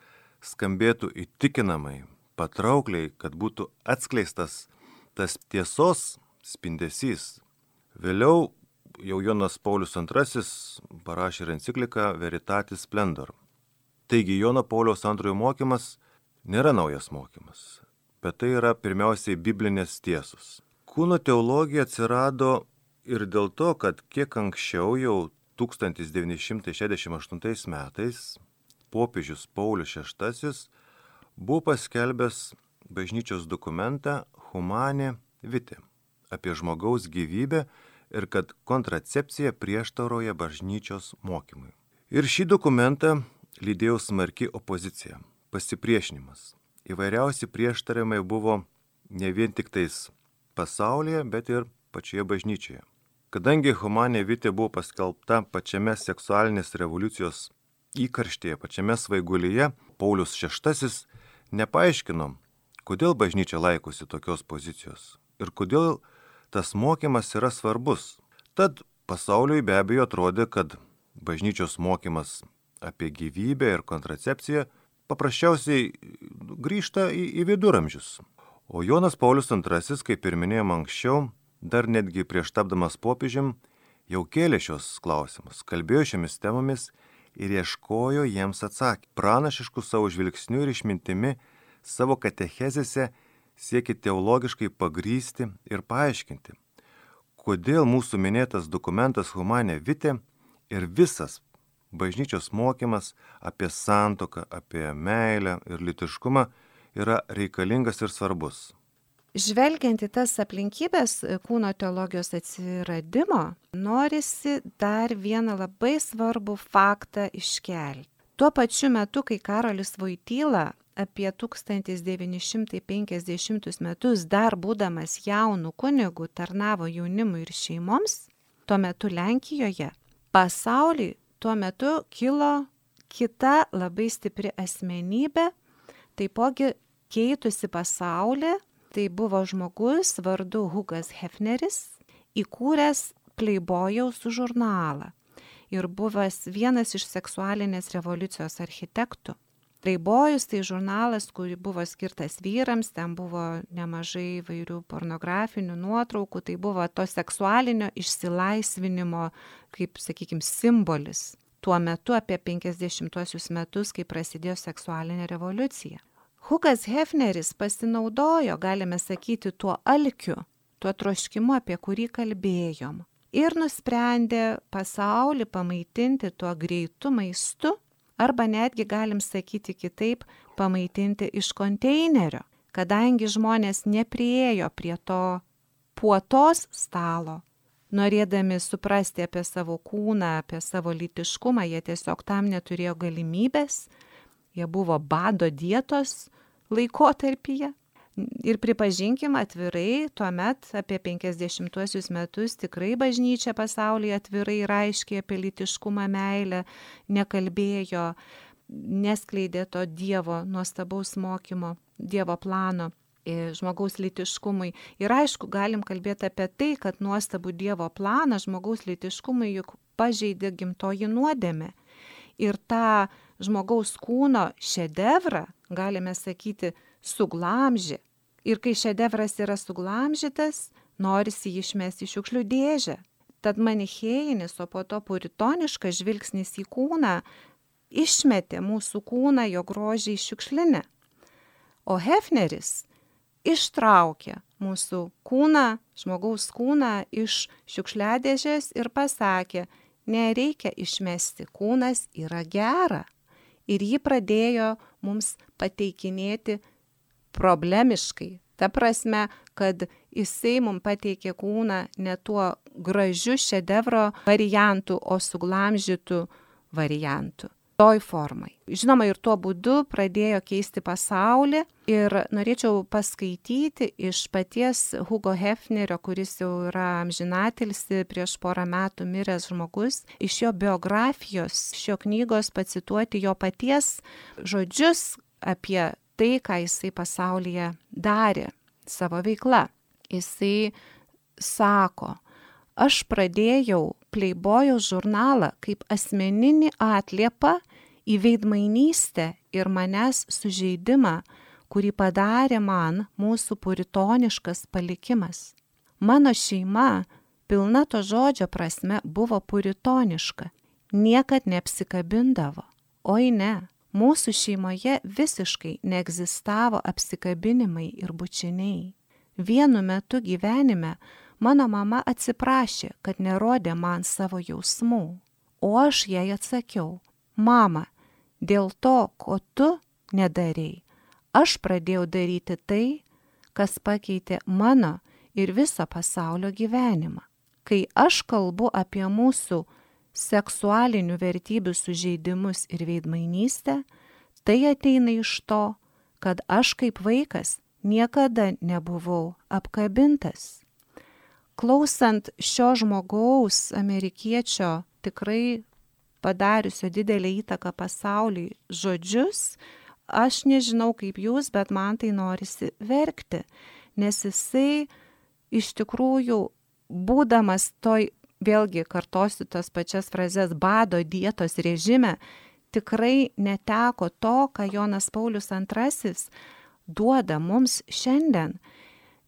Speaker 1: skambėtų įtikinamai, patraukliai, kad būtų atskleistas tas tiesos spindesys. Vėliau jau Jonas Paulius antrasis parašė ir encikliką Veritatis Splendor. Taigi Jono Pauliaus antrojo mokymas nėra naujas mokymas, bet tai yra pirmiausiai biblinės tiesos. Kūno teologija atsirado ir dėl to, kad kiek anksčiau jau tūkstantis devyni šimtai šešiasdešimt aštuntais metais popiežius Paulius šeštasis buvo paskelbęs bažnyčios dokumentą Humane Vitae apie žmogaus gyvybę ir kad kontracepcija prieštarauja bažnyčios mokymui. Ir šį dokumentą lydėjo smarki opozicija, pasipriešinimas. Įvairiausi prieštarimai buvo ne vien tik tais pasaulyje, bet ir pačioje bažnyčioje. Kadangi Humane Vitae buvo paskelbta pačiame seksualinės revoliucijos įkarštėje, pačiame svaigulyje, Paulius šeštasis nepaaiškino, kodėl bažnyčia laikosi tokios pozicijos ir kodėl tas mokymas yra svarbus. Tad pasauliui be abejo atrodė, kad bažnyčios mokymas apie gyvybę ir kontracepciją paprasčiausiai grįžta į, į viduramžius. O Jonas Paulius antrasis, kaip ir minėjom anksčiau, dar netgi prieš tapdamas popiežium, jau kėlė šios klausimus, kalbėjo šiomis temomis ir ieškojo jiems atsakymų. Pranašiškų savo žvilgsnių ir išmintimi savo katechezėse siekia teologiškai pagrysti ir paaiškinti, kodėl mūsų minėtas dokumentas Humane Vitae ir visas bažnyčios mokymas apie santuoką, apie meilę ir lytiškumą yra reikalingas ir svarbus.
Speaker 2: Žvelgiant į tas aplinkybės kūno teologijos atsiradimo, norisi dar vieną labai svarbų faktą iškelti. Tuo pačiu metu, kai Karolis Voityla apie tūkstantis devyni šimtai penkiasdešimtus metus dar būdamas jaunų kunigų tarnavo jaunimui ir šeimoms, tuo metu Lenkijoje, pasauliui tuo metu kilo kita labai stipri asmenybė, taipogi keitusi pasaulį. Tai buvo žmogus vardu Hugas Hefneris, įkūręs Playboyaus žurnalą ir buvęs vienas iš seksualinės revoliucijos architektų. Playboyus tai žurnalas, kurį buvo skirtas vyrams, ten buvo nemažai vairių pornografinių nuotraukų, tai buvo to seksualinio išsilaisvinimo, kaip, sakykime, simbolis. Tuo metu apie penkiasdešimtuosius metus, kai prasidėjo seksualinė revoliucija. Hugas Hefneris pasinaudojo, galime sakyti, tuo alkiu, tuo troškimu, apie kurį kalbėjom. Ir nusprendė pasaulį pamaitinti tuo greitu maistu, arba netgi, galim sakyti kitaip, pamaitinti iš konteinerio, kadangi žmonės nepriėjo prie to puotos stalo. Norėdami suprasti apie savo kūną, apie savo lytiškumą, jie tiesiog tam neturėjo galimybės. jie buvo bado dietos laikotarpyje. Ir pripažinkim atvirai, tuomet apie penkiasdešimtuosius metus tikrai bažnyčia pasaulyje atvirai ir aiškiai apie lytiškumą, meilę nekalbėjo, neskleidė to Dievo nuostabaus mokymo, Dievo plano žmogaus lytiškumui. Ir aišku, galim kalbėti apie tai, kad nuostabų Dievo planą žmogaus lytiškumui juk pažeidė gimtoji nuodėmė. Ir tą žmogaus kūno šedevrą, galime sakyti, suglamžė. Ir kai šedevras yra suglamžytas, norisi jį išmesti į šiukšlių dėžę. Tad manichėjinis, o po to puritoniškas žvilgsnis į kūną išmetė mūsų kūną, jo grožį į šiukšlinę. O Hefneris ištraukė mūsų kūną, žmogaus kūną iš šiukšliadėžės ir pasakė, nereikia išmesti, kūnas yra gera. Ir jį pradėjo mums pateikinėti problemiškai. Ta prasme, kad jisai mums pateikė kūną ne tuo gražiu šedevro variantu, o suglamžytų variantu. Toj formai. Žinoma, ir tuo būdu pradėjo keisti pasaulį ir norėčiau paskaityti iš paties Hugo Hefnerio, kuris jau yra amžinatilsi, prieš porą metų miręs žmogus, iš jo biografijos, šio knygos pacituoti jo paties žodžius apie tai, ką jisai pasaulyje darė savo veikla. Jisai sako, aš pradėjau Playboyaus žurnalą kaip asmeninį atliepą į veidmainystę ir manęs sužeidimą, kurį padarė man mūsų puritoniškas palikimas. Mano šeima, pilna to žodžio prasme, buvo puritoniška, niekad neapsikabindavo. Oi ne, mūsų šeimoje visiškai neegzistavo apsikabinimai ir bučiniai. Vienu metu gyvenime mano mama atsiprašė, kad nerodė man savo jausmų, o aš jai atsakiau, mama, dėl to, ko tu nedarei, aš pradėjau daryti tai, kas pakeitė mano ir viso pasaulio gyvenimą. Kai aš kalbu apie mūsų seksualinių vertybių sužeidimus ir veidmainystę, tai ateina iš to, kad aš kaip vaikas niekada nebuvau apkabintas. Klausant šio žmogaus, amerikiečio, tikrai padariusio didelę įtaką pasauliui žodžius, aš nežinau kaip jūs, bet man tai norisi verkti, nes jisai iš tikrųjų, būdamas toj, vėlgi kartosiu tas pačias frazes, bado dietos režime, tikrai neteko to, ką Jonas Paulius antrasis duoda mums šiandien.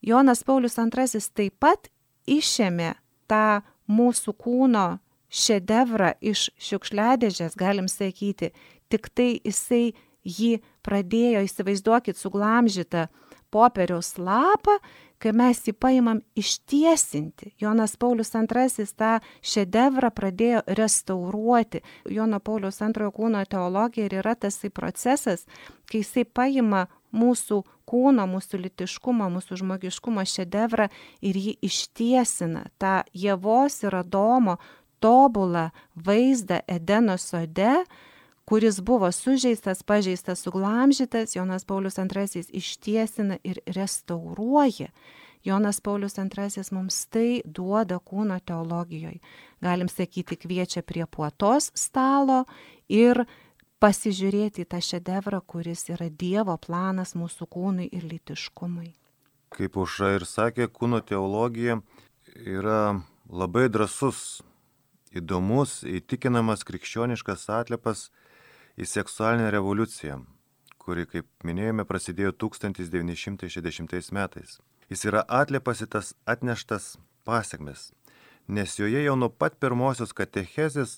Speaker 2: Jonas Paulius antrasis taip pat išėmė tą mūsų kūno šedevrą iš šiukšliadėžės, galim sakyti, tik tai jisai jį pradėjo, įsivaizduokit, suglamžytą popieriaus lapą, kai mes jį paimam ištiesinti. Jonas Paulius antrasis tą šedevrą pradėjo restauruoti. Jono Pauliaus antrojo kūno teologija ir yra tasai procesas, kai jisai paima mūsų kūno, mūsų lytiškumo, mūsų žmogiškumo šedevrą ir jį ištiesina. Ta Ievos ir Adomo tobulą vaizdą Edeno sode, kuris buvo sužeistas, pažeistas, suglamžytas, Jonas Paulius antrasis ištiesina ir restauruoja. Jonas Paulius antrasis mums tai duoda kūno teologijoje. Galim sakyti, kviečia prie puotos stalo ir pasižiūrėti į tą šedevrą, kuris yra Dievo planas mūsų kūnui ir lytiškumui.
Speaker 1: Kaip Aušra ir sakė, kūno teologija yra labai drąsus, įdomus, įtikinamas krikščioniškas atlipas į seksualinę revoliuciją, kuri, kaip minėjome, prasidėjo tūkstantis devyni šimtai šešiasdešimtais metais. Jis yra atlipas į tas atneštas pasiekmes, nes joje jau nuo pat pirmosios katechezės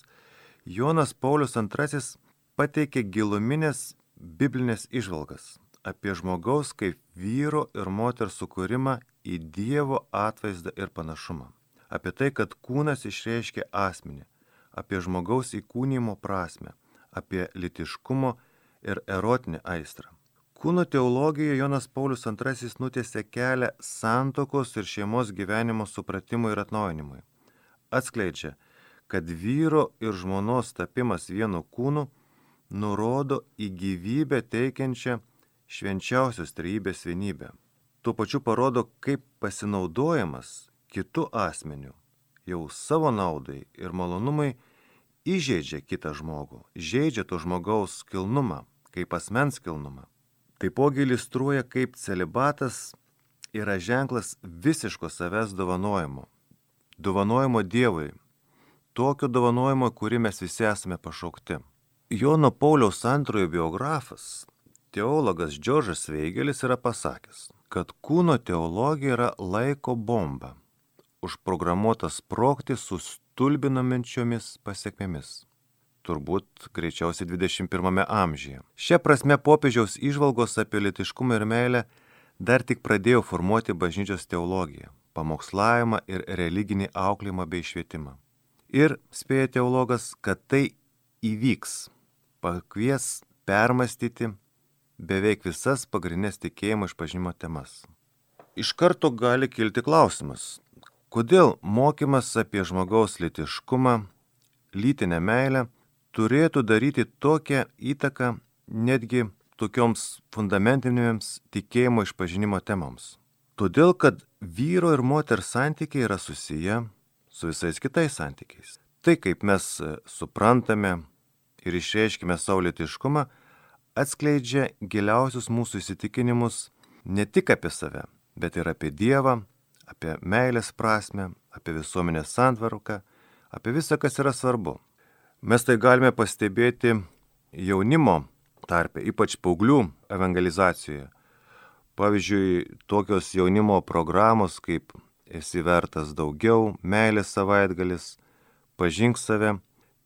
Speaker 1: Jonas Paulius antrasis pateikė giluminės biblinės įžvalgas apie žmogaus kaip vyro ir moters sukūrimą į Dievo atvaizdą ir panašumą, apie tai, kad kūnas išreiškia asmenį, apie žmogaus įkūnijimo prasme, apie lytiškumo ir erotinę aistrą. Kūno teologijoje Jonas Paulius antrasis nutiesė kelią santuokos ir šeimos gyvenimo supratimui ir atnaujinimui. Atskleidžia, kad vyro ir žmonos tapimas vienu kūnu nurodo į gyvybę teikiančią švenčiausios trejybės vienybę. Tuo pačiu parodo, kaip pasinaudojimas kitu asmeniu jau savo naudai ir malonumai įžeidžia kitą žmogų, žeidžia to žmogaus kilnumą, kaip asmens kilnumą. Taipogi iliustruoja, kaip celibatas yra ženklas visiško savęs dovanojimo. Dovanojimo Dievui. Tokio dovanojimo, kurį mes visi esame pašaukti. Jono Pauliaus antrojo biografas, teologas Džordžas Veigelis yra pasakęs, kad kūno teologija yra laiko bomba, užprogramuota sprogti su stulbinančiomis pasekmėmis. Turbūt greičiausiai dvidešimt pirmame amžiuje. Šia prasme popiežiaus įžvalgos apie lytiškumą ir meilę dar tik pradėjo formuoti bažnyčios teologiją, pamokslavimą ir religinį auklėjimą bei švietimą. Ir spėja teologas, kad tai įvyks, pakvies permastyti beveik visas pagrindinės tikėjimo išpažinimo temas. Iš karto gali kilti klausimas, kodėl mokymas apie žmogaus lytiškumą, lytinę meilę turėtų daryti tokią įtaką netgi tokioms fundamentinėms tikėjimo išpažinimo temoms. Todėl, kad vyro ir moters santykiai yra susiję su visais kitais santykiais. Tai, kaip mes suprantame ir išreiškime savo lytiškumą, atskleidžia giliausius mūsų įsitikinimus ne tik apie save, bet ir apie Dievą, apie meilės prasmę, apie visuomenės santvarką, apie visą, kas yra svarbu. Mes tai galime pastebėti jaunimo tarpe, ypač paauglių evangelizacijoje. Pavyzdžiui, tokios jaunimo programos kaip Esi vertas daugiau, Meilės savaitgalis, Pažink save.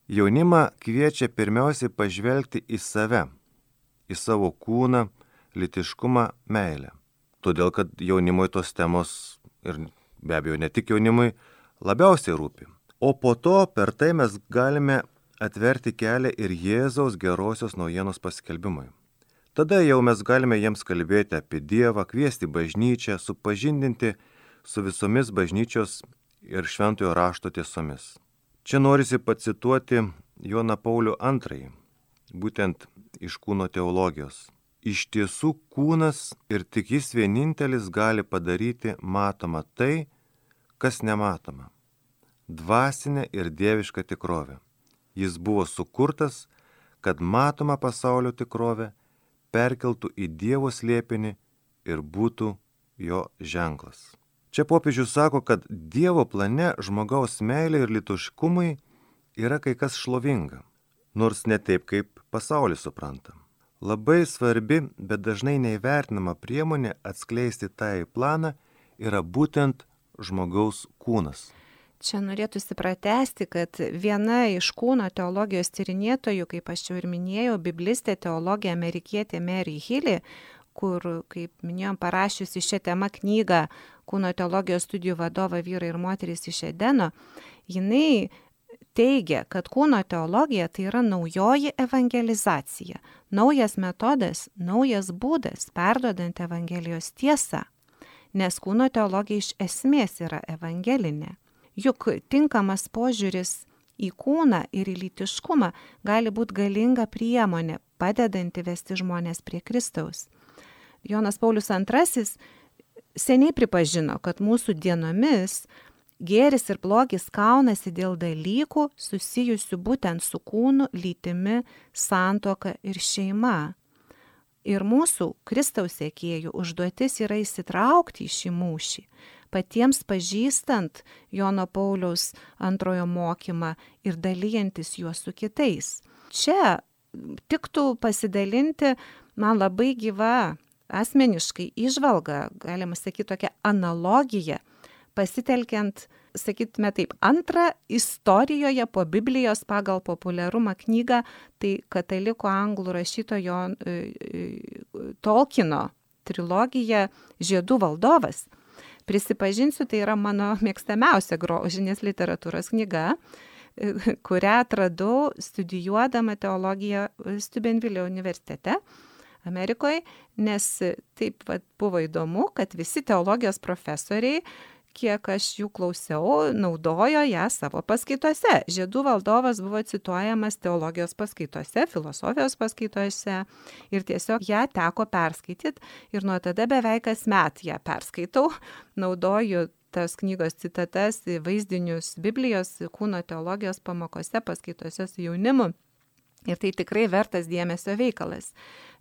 Speaker 1: Jaunimą kviečia pirmiausiai pažvelgti į save, į savo kūną, lytiškumą, meilę. Todėl, kad jaunimui tos temos, ir be abejo ne tik jaunimui, labiausiai rūpi. O po to per tai mes galime atverti kelią ir Jėzaus gerosios naujienos paskelbimui. Tada jau mes galime jiems kalbėti apie Dievą, kviesti bažnyčią, supažindinti su visomis bažnyčios ir šventojo rašto tiesomis. Čia norisi pacituoti Joną Paulių antrąjį, būtent iš kūno teologijos. Iš tiesų kūnas ir tik jis vienintelis gali padaryti matoma tai, kas nematoma. Dvasinė ir dieviška tikrovė. Jis buvo sukurtas, kad matoma pasaulio tikrovė perkeltų į Dievo slėpinį ir būtų jo ženklas. Čia popiežius sako, kad Dievo plane žmogaus meilė ir lytiškumui yra kai kas šlovinga, nors ne taip, kaip pasaulis supranta. Labai svarbi, bet dažnai neįvertinama priemonė atskleisti tą į planą yra būtent žmogaus kūnas.
Speaker 2: Čia norėtųsi pratesti, kad viena iš kūno teologijos tyrinėtojų, kaip aš jau ir minėjau, biblistė teologė amerikietė Mary Healy, kur, kaip minėjom, parašiusi šią temą knygą Kūno teologijos studijų vadovą Vyrai ir moterys iš Edeno, jinai teigia, kad kūno teologija tai yra naujoji evangelizacija, naujas metodas, naujas būdas perduodant Evangelijos tiesą, nes kūno teologija iš esmės yra evangelinė. Juk tinkamas požiūris į kūną ir į lytiškumą gali būti galinga priemonė, padedanti vesti žmonės prie Kristaus. Jonas Paulius antrasis seniai pripažino, kad mūsų dienomis gėris ir blogis kaunasi dėl dalykų susijusių būtent su kūnu, lytimi, santuoka ir šeima. Ir mūsų Kristaus sekėjų užduotis yra įsitraukti į šį mūšį, patiems pažįstant Jono Pauliaus antrojo mokymą ir dalyjantis juos su kitais. Čia tiktų pasidalinti man labai gyva asmeniškai įžvalga, galima sakyti tokia analogija, pasitelkiant, sakytume taip, antrą istorijoje po Biblijos pagal populiarumą knygą, tai katalikų anglų rašytojo Tolkieno trilogija Žiedų valdovas. Prisipažinsiu, tai yra mano mėgstamiausia grožinės literatūros knyga, kurią atradau studijuodama teologiją Steubenvilio universitete Amerikoje, nes taip vat, buvo įdomu, kad visi teologijos profesoriai kiek aš jų klausiau, naudojo ją savo paskaitose. Žiedų valdovas buvo cituojamas teologijos paskaitose, filosofijos paskaitose ir tiesiog ją teko perskaityti ir nuo tada beveik kasmet ją perskaitau, naudoju tas knygos citatas, vaizdinius Biblijos, kūno teologijos pamokose, paskaitose su jaunimu. Ir tai tikrai vertas dėmesio veikalas,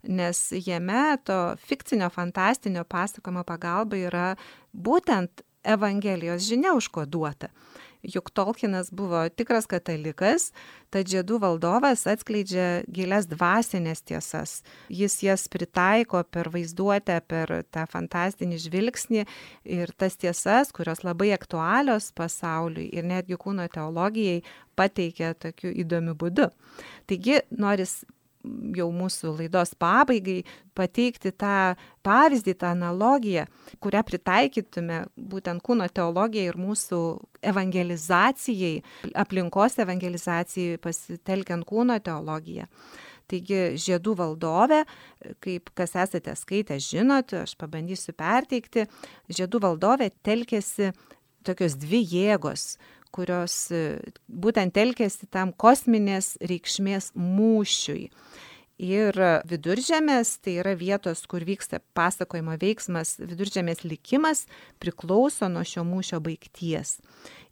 Speaker 2: nes jame to fikcinio, fantastinio pasakojimo pagalba yra būtent Evangelijos žinia užkoduota. Juk Tolkienas buvo tikras katalikas, tad Žiedų valdovas atskleidžia gilias dvasinės tiesas. Jis jas pritaiko per vaizduotę, per tą fantastinį žvilgsnį ir tas tiesas, kurios labai aktualios pasauliui ir netgi kūno teologijai, pateikia tokiu įdomiu būdu. Taigi, noris jau mūsų laidos pabaigai pateikti tą pavyzdį, tą analogiją, kurią pritaikytume būtent kūno teologijai ir mūsų evangelizacijai, aplinkos evangelizacijai pasitelkiant kūno teologiją. Taigi Žiedų valdovė, kaip kas esate skaitę, žinot, aš pabandysiu perteikti, Žiedų valdovė telkėsi tokios dvi jėgos, kurios būtent telkėsi tam kosminės reikšmės mūšiui. Ir Viduržemės, tai yra vietos, kur vyksta pasakojimo veiksmas, Viduržemės likimas priklauso nuo šio mūšio baigties.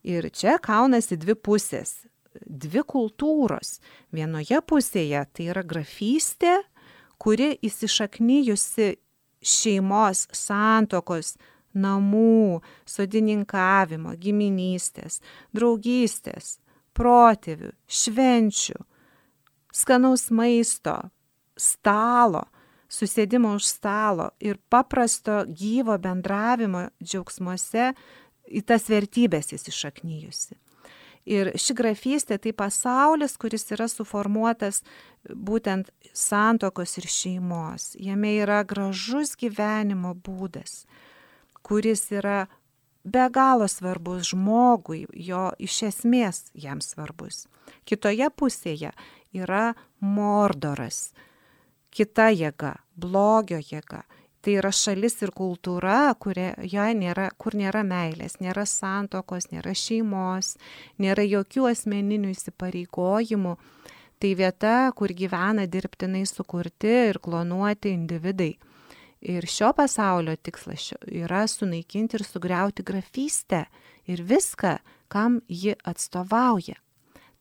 Speaker 2: Ir čia kaunasi dvi pusės, dvi kultūros. Vienoje pusėje tai yra grafystė, kuri įsišaknyjusi šeimos, santuokos, namų, sodininkavimo, giminystės, draugystės, protėvių, švenčių, skanaus maisto, stalo, susėdimo už stalo ir paprasto gyvo bendravimo džiaugsmuose į tas vertybės įsišaknyjusi. Ir ši grafystė tai pasaulis, kuris yra suformuotas būtent santuokos ir šeimos. Jame yra gražus gyvenimo būdas, kuris yra be galo svarbus žmogui, jo iš esmės jam svarbus. Kitoje pusėje yra Mordoras, kita jėga, blogio jėga. Tai yra šalis ir kultūra, kurioje nėra, kur nėra meilės, nėra santokos, nėra šeimos, nėra jokių asmeninių įsipareigojimų. Tai vieta, kur gyvena dirbtinai sukurti ir klonuoti individai. Ir šio pasaulio tikslas yra sunaikinti ir sugriauti grafystę ir viską, kam ji atstovauja.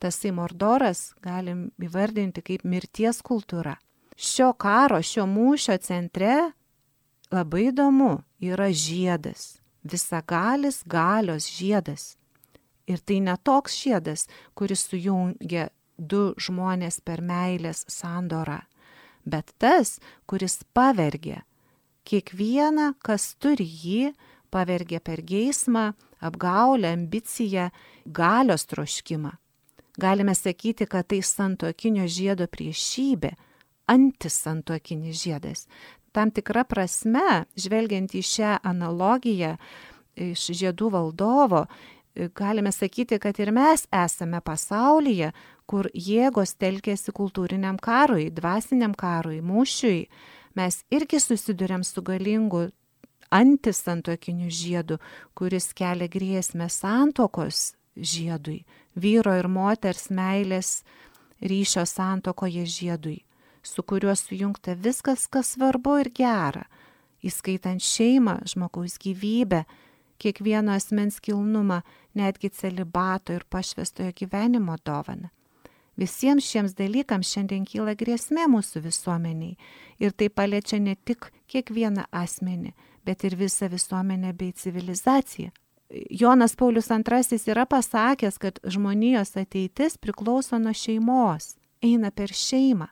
Speaker 2: Tasai Mordoras galim įvardinti kaip mirties kultūra. Šio karo, šio mūšio centre labai įdomu yra žiedas, visagalis galios žiedas. Ir tai ne toks žiedas, kuris sujungia du žmonės per meilės sandorą, bet tas, kuris pavergia kiekvieną, kas turi jį, pavergia per geismą, apgaulę, ambiciją, galios troškimą. Galime sakyti, kad tai santuokinio žiedo priešybė, antisantuokinis žiedas. Tam tikra prasme, žvelgiant į šią analogiją iš Žiedų valdovo, galime sakyti, kad ir mes esame pasaulyje, kur jėgos telkėsi kultūriniam karui, dvasiniam karui, mūšiui. Mes irgi susiduriam su galingu antisantuokiniu žiedu, kuris kelia grėsmę santuokos žiedui, vyro ir moters meilės ryšio santuokoje žiedui, su kuriuo sujungta viskas, kas svarbu ir gera, įskaitant šeimą, žmogaus gyvybę, kiekvieno asmens kilnumą, netgi celibato ir pašvęstojo gyvenimo dovaną. Visiems šiems dalykams šiandien kyla grėsmė mūsų visuomeniai ir tai paliečia ne tik kiekvieną asmenį, bet ir visą visuomenę bei civilizaciją. Jonas Paulius antrasis yra pasakęs, kad žmonijos ateitis priklauso nuo šeimos, eina per šeimą,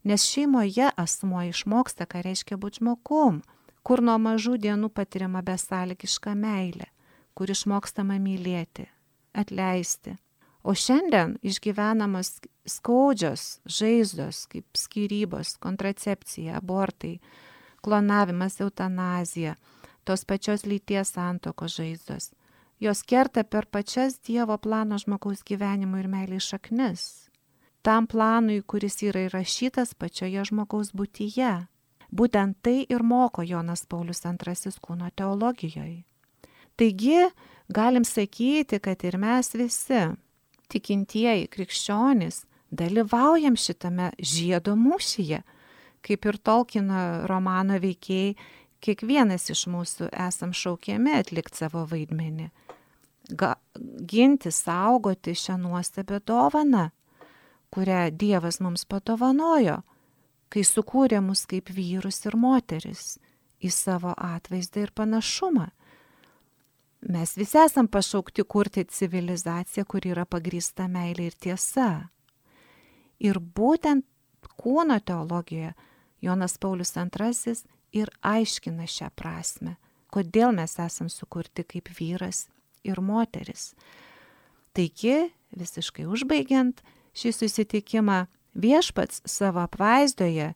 Speaker 2: nes šeimoje asmuo išmoksta, ką reiškia būti žmogum, kur nuo mažų dienų patiriama besąlygiška meilė, kur išmokstama mylėti, atleisti. O šiandien išgyvenamos skaudžios žaizdos, kaip skyrybos, kontracepcija, abortai, klonavimas, eutanazija, tos pačios lyties santuokos žaizdos. Jos kerta per pačias Dievo plano žmogaus gyvenimo ir meilės šaknis. Tam planui, kuris yra įrašytas pačioje žmogaus būtyje. Būtent tai ir moko Jonas Paulius antrasis kūno teologijoje. Taigi, galim sakyti, kad ir mes visi, tikintieji krikščionys, dalyvaujam šitame žiedo mūšyje. Kaip ir Tolkieno romano veikėjai, kiekvienas iš mūsų esam šaukiami atlikti savo vaidmenį. Ga, ginti, saugoti šią nuostabią dovaną, kurią Dievas mums padovanojo, kai sukūrė mus kaip vyrus ir moteris į savo atvaizdą ir panašumą. Mes visi esam pašaukti kurti civilizaciją, kuri yra pagrįsta meilė ir tiesa. Ir būtent kūno teologijoje Jonas Paulius antrasis ir aiškina šią prasme, kodėl mes esam sukurti kaip vyras ir moteris. Taigi, visiškai užbaigiant šį susitikimą, viešpats savo apvaizdoje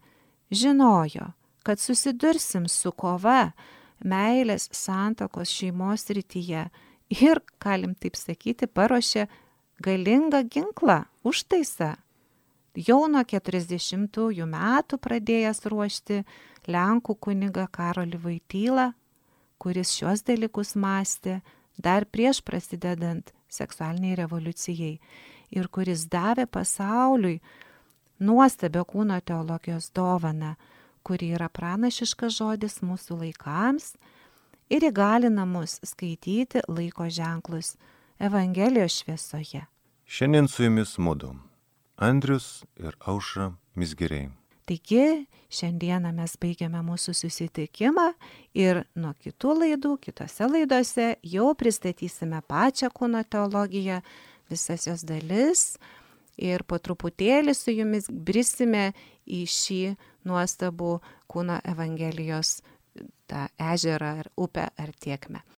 Speaker 2: žinojo, kad susidursim su kova meilės, santuokos, šeimos srityje ir, galim taip sakyti, paruošė galingą ginklą, užtaisą. Jau nuo keturiasdešimtųjų metų pradėjęs ruošti Lenkų kunigą Karolį Vaitylą, kuris šios dalykus mąstė dar prieš prasidedant seksualiniai revoliucijai ir kuris davė pasauliui nuostabią kūno teologijos dovaną, kuri yra pranašiškas žodis mūsų laikams ir įgalina mus skaityti laiko ženklus Evangelijos šviesoje.
Speaker 1: Šiandien su jumis mudu, Andrius ir Aušra Mizgiriai.
Speaker 2: Taigi, šiandieną mes baigiame mūsų susitikimą ir nuo kitų laidų, kitose laidose jau pristatysime pačią kūno teologiją, visas jos dalis ir po truputėlį su jumis brisime į šį nuostabų kūno Evangelijos tą ežerą ar upę ar tėkmę.